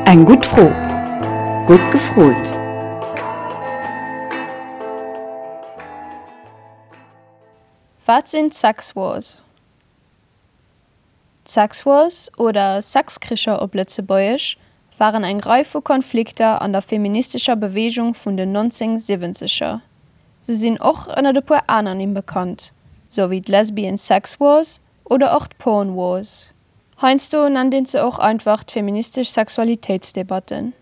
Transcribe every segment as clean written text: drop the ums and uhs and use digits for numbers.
Eng gutt Fro. Gutt gefrot! Wat sinn d'Sex Wars? D'Sex Wars, oder Sexkricher op Lëtzebuergesch, waren eng Rei vu Konflikter an der feministescher Beweegung vun den 1970er. Se sinn och ënnert e puer aner Nimm bekannt, sou wéi d'Lesbian Sex Wars oder och d'Porn Wars. Heiansdo nennt een se och einfach d'feministesch Sexualitéitsdebatten.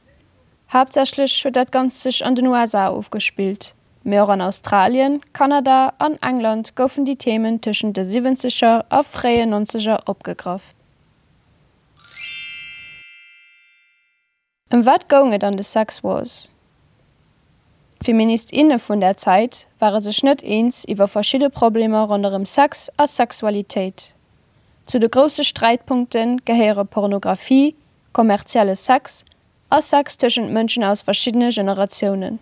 Haaptsächlech huet dat Ganzt sech an den USA ofgespillt, mee och an Australien, Kanada an England goufen déi Themen tëschent de Siwwenzeger a fréien Nonzeger opgegraff. Ëm wat goung et an de Sex Wars? D'Feminist, inne vun där Zäit ware sech net eens iwwer verschidde Problemer ronderëm Sex a Sexualitéit. Zu de grousse Sträitpunkte gehéiere Pornografie, kommerzielle Sex a Sex tëschent Mënschen aus verschiddene Generatiounen.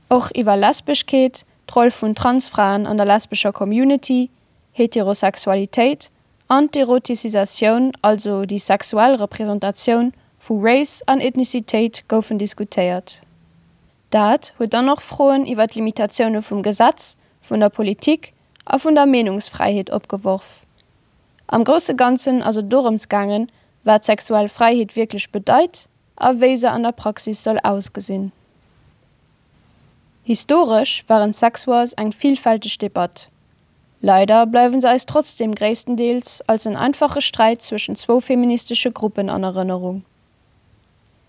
Och iwwer Lesbeschkeet, d'Roll vun Transfraen an der lesbescher Community, Heterosexualitéit an d'Erotisisatioun, also déi sexuell Representatioun vu Race an Ethnizitéit goufen diskutéiert. Dat huet dann och Froen iwwer d'Limitatioune vum Gesetz, vun der Politik a vun der Meenungsfräiheet opgeworf. Am grousse Ganzen ass et dorëms gaangen, wat sexuell Fräiheet wierklech bedeit a wéi se an der Praxis soll ausgesinn. Historesch waren d'Sex Wars eng villfälteg Debatt. Leider bleiwe se eis trotzdeem gréisstendeels als en einfache Sträit zwëschen zwou feministesche Gruppen an Erënnerung.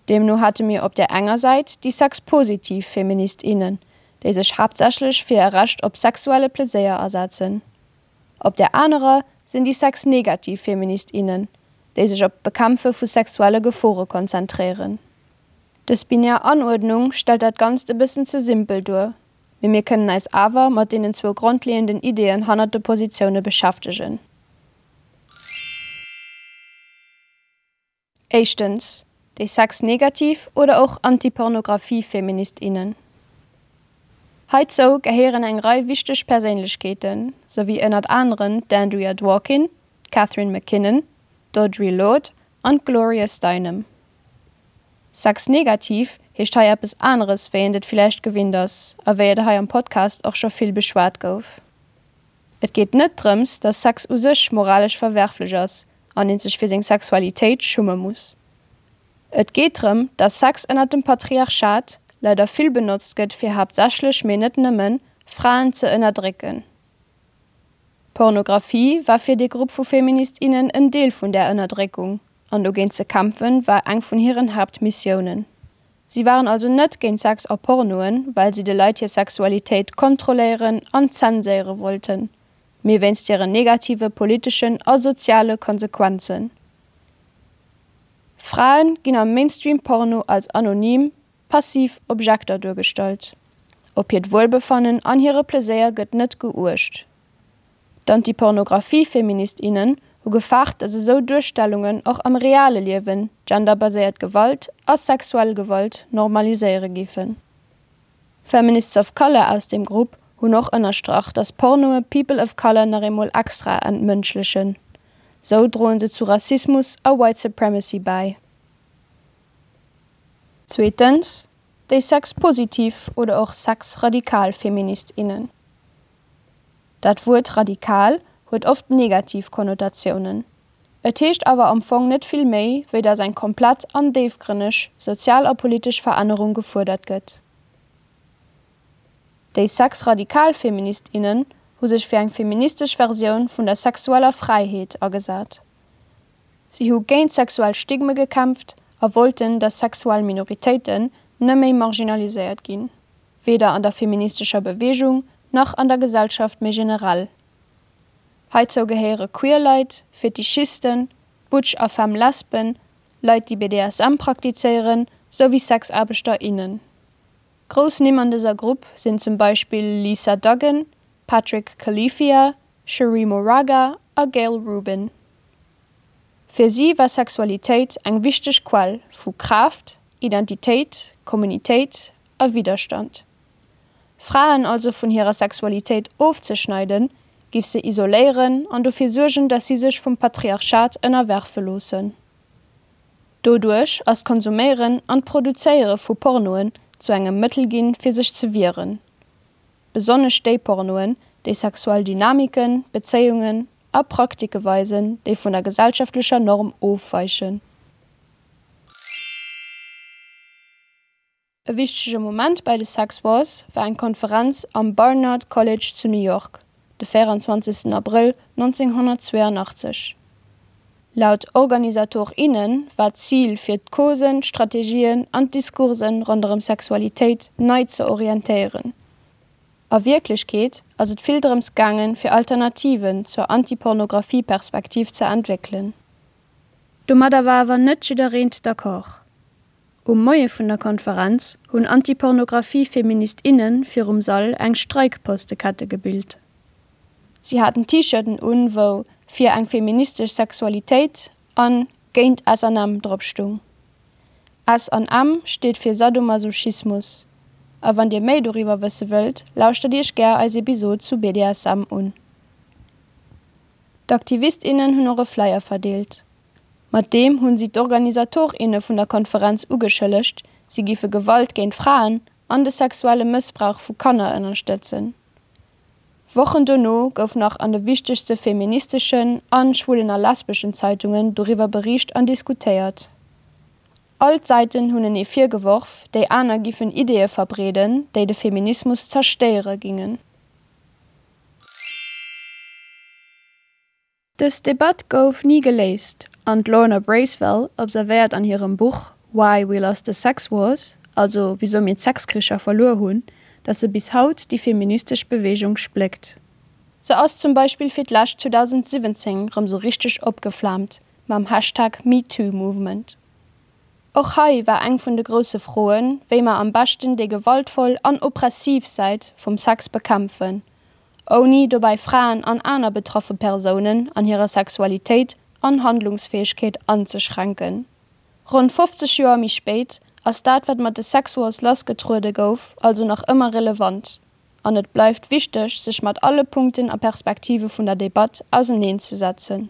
Deemno hate mir op där enger Säit déi sexpositiv Feminist, innen, déi sech haaptsächlech fir e Recht op sexuelle Pleséier asetzen. Op där anerer sinn déi sexnegativ Feminist, innen, déi sech op d'Bekämpfe vu sexuelle Gefore konzentréieren. Dës binär Anuerdnung stellt dat Ganzt e bëssen ze simpel duer, mee mir kënnen eis awer mat deenen zwou grondleeënden Ideeën hannert de Positioune beschäftegen. Éischtens, déi sexnegativ oder och Antipornographie-Feminist, innen. Heizou gehéieren eng Rei wichteg Perséinlechkeeten, sou wéi ënnert aneren d'Andrea Dworkin, d'Catharine MacKinnon, d'Audre Lorde an d'Gloria Steinem. Sexnegativ heescht hei eppes aneres wéi eent et villäicht gewinnt ass a wéi et hei am Podcast och scho vill beschwat gouf. Et geet net drëms, dass Sex u sech moralesch verwerflech ass an eent sech fir seng Sexualitéit schumme muss. Et geet drëm, dass Sex ënnert dem Patriarchat leider vill benotzt gëtt fir haaptsächlech, mee net nëmmen, Fraen ze ënnerdrécken. Pornografie war fir dee Grupp vu Feminist, innen en Deel vun där Ënnerdréckung, an dogéint ze kämpfen war eng vun hiren Haaptmissiounen. Si waren also net géint Sex a Pornoen, well si de Leit hir Sexualitéit kontrolléieren an zenséiere wollten, mee wéinst hiren negative politeschen a soziale Konsequenzen. Frae ginn am Mainstream-Porno als anonym, passiv Objekter duergestallt. Op hiert Wuelbefannen an hire Pleséier gëtt net geuecht. D'Antipornographie-Feminist, innen hu gefaart, datt esou Duerstellungen och am reale Liewen genderbaséiert Gewalt a sexuell Gewalt normaliséiere géifen. Feminists of Color aus deem Grupp hunn och ënnerstrach, datt Pornoe People of Color nach eemol extra entmënschlechen. Sou droen se zu Rassismus a White Supremacy bäi. Zweetens, déi sexpositiv oder och sexradikal Feminist, innen. Dat Wuert radikal huet oft negativ Konnotatiounen. Et heescht awer am Fong net vill méi, wéi datt eng komplett an déifgrënneg sozial a politesch Verännerung gefuerdert gëtt. Déi sexradikal Feminist, innen hu sech fir eng feministesch Versioun vun der sexueller Fräiheet agesat. Si hu géint sexuell Stigme gekämpft a wollten, datt sexuell Minoritéiten net méi marginaliséiert ginn, weder an der feministescher Beweegung nach an der Gesellschaft méi generell. Heizou gehéiere queer Leit, Fetischisten, Butch a Femme Lesben, Leit déi BDSM praktizéieren, souwéi Sexaarbechter, innen. Grouss Nimm an dëser Grupp sinn zum Beispill Lisa Duggan, Patrick Califia, Cheree Moraga a Gayle Rubin. Fir si war Sexualitéit eng wichteg Quell vu Kraaft, Identitéit, Kommunitéit a Widderstand. Fraen also vun hirer Sexualitéit ofzeschneiden, giff se isoléieren an dofir suergen, dass si sech vum Patriarchat ënnerwerfe loossen. Doduerch ass d'Konsuméieren an d'Produzéiere vu Pornoen zu engem Mëttel ginn, fir sech ze wieren. Besonnesch déi Pornoen, déi sexuell Dynamiken, Bezéiungen a Praktike weisen, déi vun der gesellschaftlecher Norm ofweichen. E wichtege Moment bei de Sex Wars war eng Konferenz am Barnard College zu New York, de 24 Abrëll 1982. Laut Organisator, inne war d'Zil fir d'Causen, d'Strategien an d'Discoursen ronderëm Sexualitéit nei ze orientéieren. A Wierklechkeet ass et vill drëms gaangen, fir Alternativen zur Anti-Pornographie-Perspektiv ze entwéckelen. Domadder war awer net jiddereent d'accord. Um Moie vun der Konferenz hunn Anti-Pornographie-Feminist, inne virum Sall eng Streikpostekette gebilt. Si haten T-Shirten un, wou Fir eng feministesch Sexualitéit an Géint S an M drop stung. S an M steet fir Sadomasochismus. A wann dir méi doriwwer wësse wëllt, lauschtert iech gär eis Episod zu BDSM un. D'Aktivist, innen hunn och e Flyer verdeelt. Mat deem hunn si d'Organisator, inne vun der Konferenz ugeschëllegt, si giffe Gewalt géint Fraen an de sexuelle Mëssbrauch vu Kanner ënnerstëtzen. Wochen dono gouf nach an de wichtegste feministeschen an schwulen a lesbeschen Zeitungen doriwwer beriicht an diskutéiert. All d'Säiten hunn enee virgeworf, déi aner giffen Ideeë verbreeden, déi de Feminismus zerstéiere gingen. Dës Debatt gouf ni geléist an d'Lorna Bracewell observéiert an hirem Buch Why We Lost the Sex Wars, also wisou mir d'Sexkricher verluer hunn, datt se bis haut déi feministesch Beweegung spléckt. Se ass zum Beispill fir d'lescht 2017 rëm sou richteg opgeflaamt mam Hashtag MeTooMovement. Och hei war eng vun de grousse Froen, wéi mer am beschten déi gewaltvoll an oppressiv Säit vum Sex bekämpfen, ouni dobäi Fraen an aner betraffe Persounen an hirer Sexualitéit an Handlungsfäegkeet anzeschränken. Ronn 50 Joer méi spéit ass dat, wat mat de Sex Wars lassgetruede gouf, also nach ëmmer relevant an et bleift wichteg, sech mat alle Punkten a Perspektive vun der Debatt auserneenzesetzen.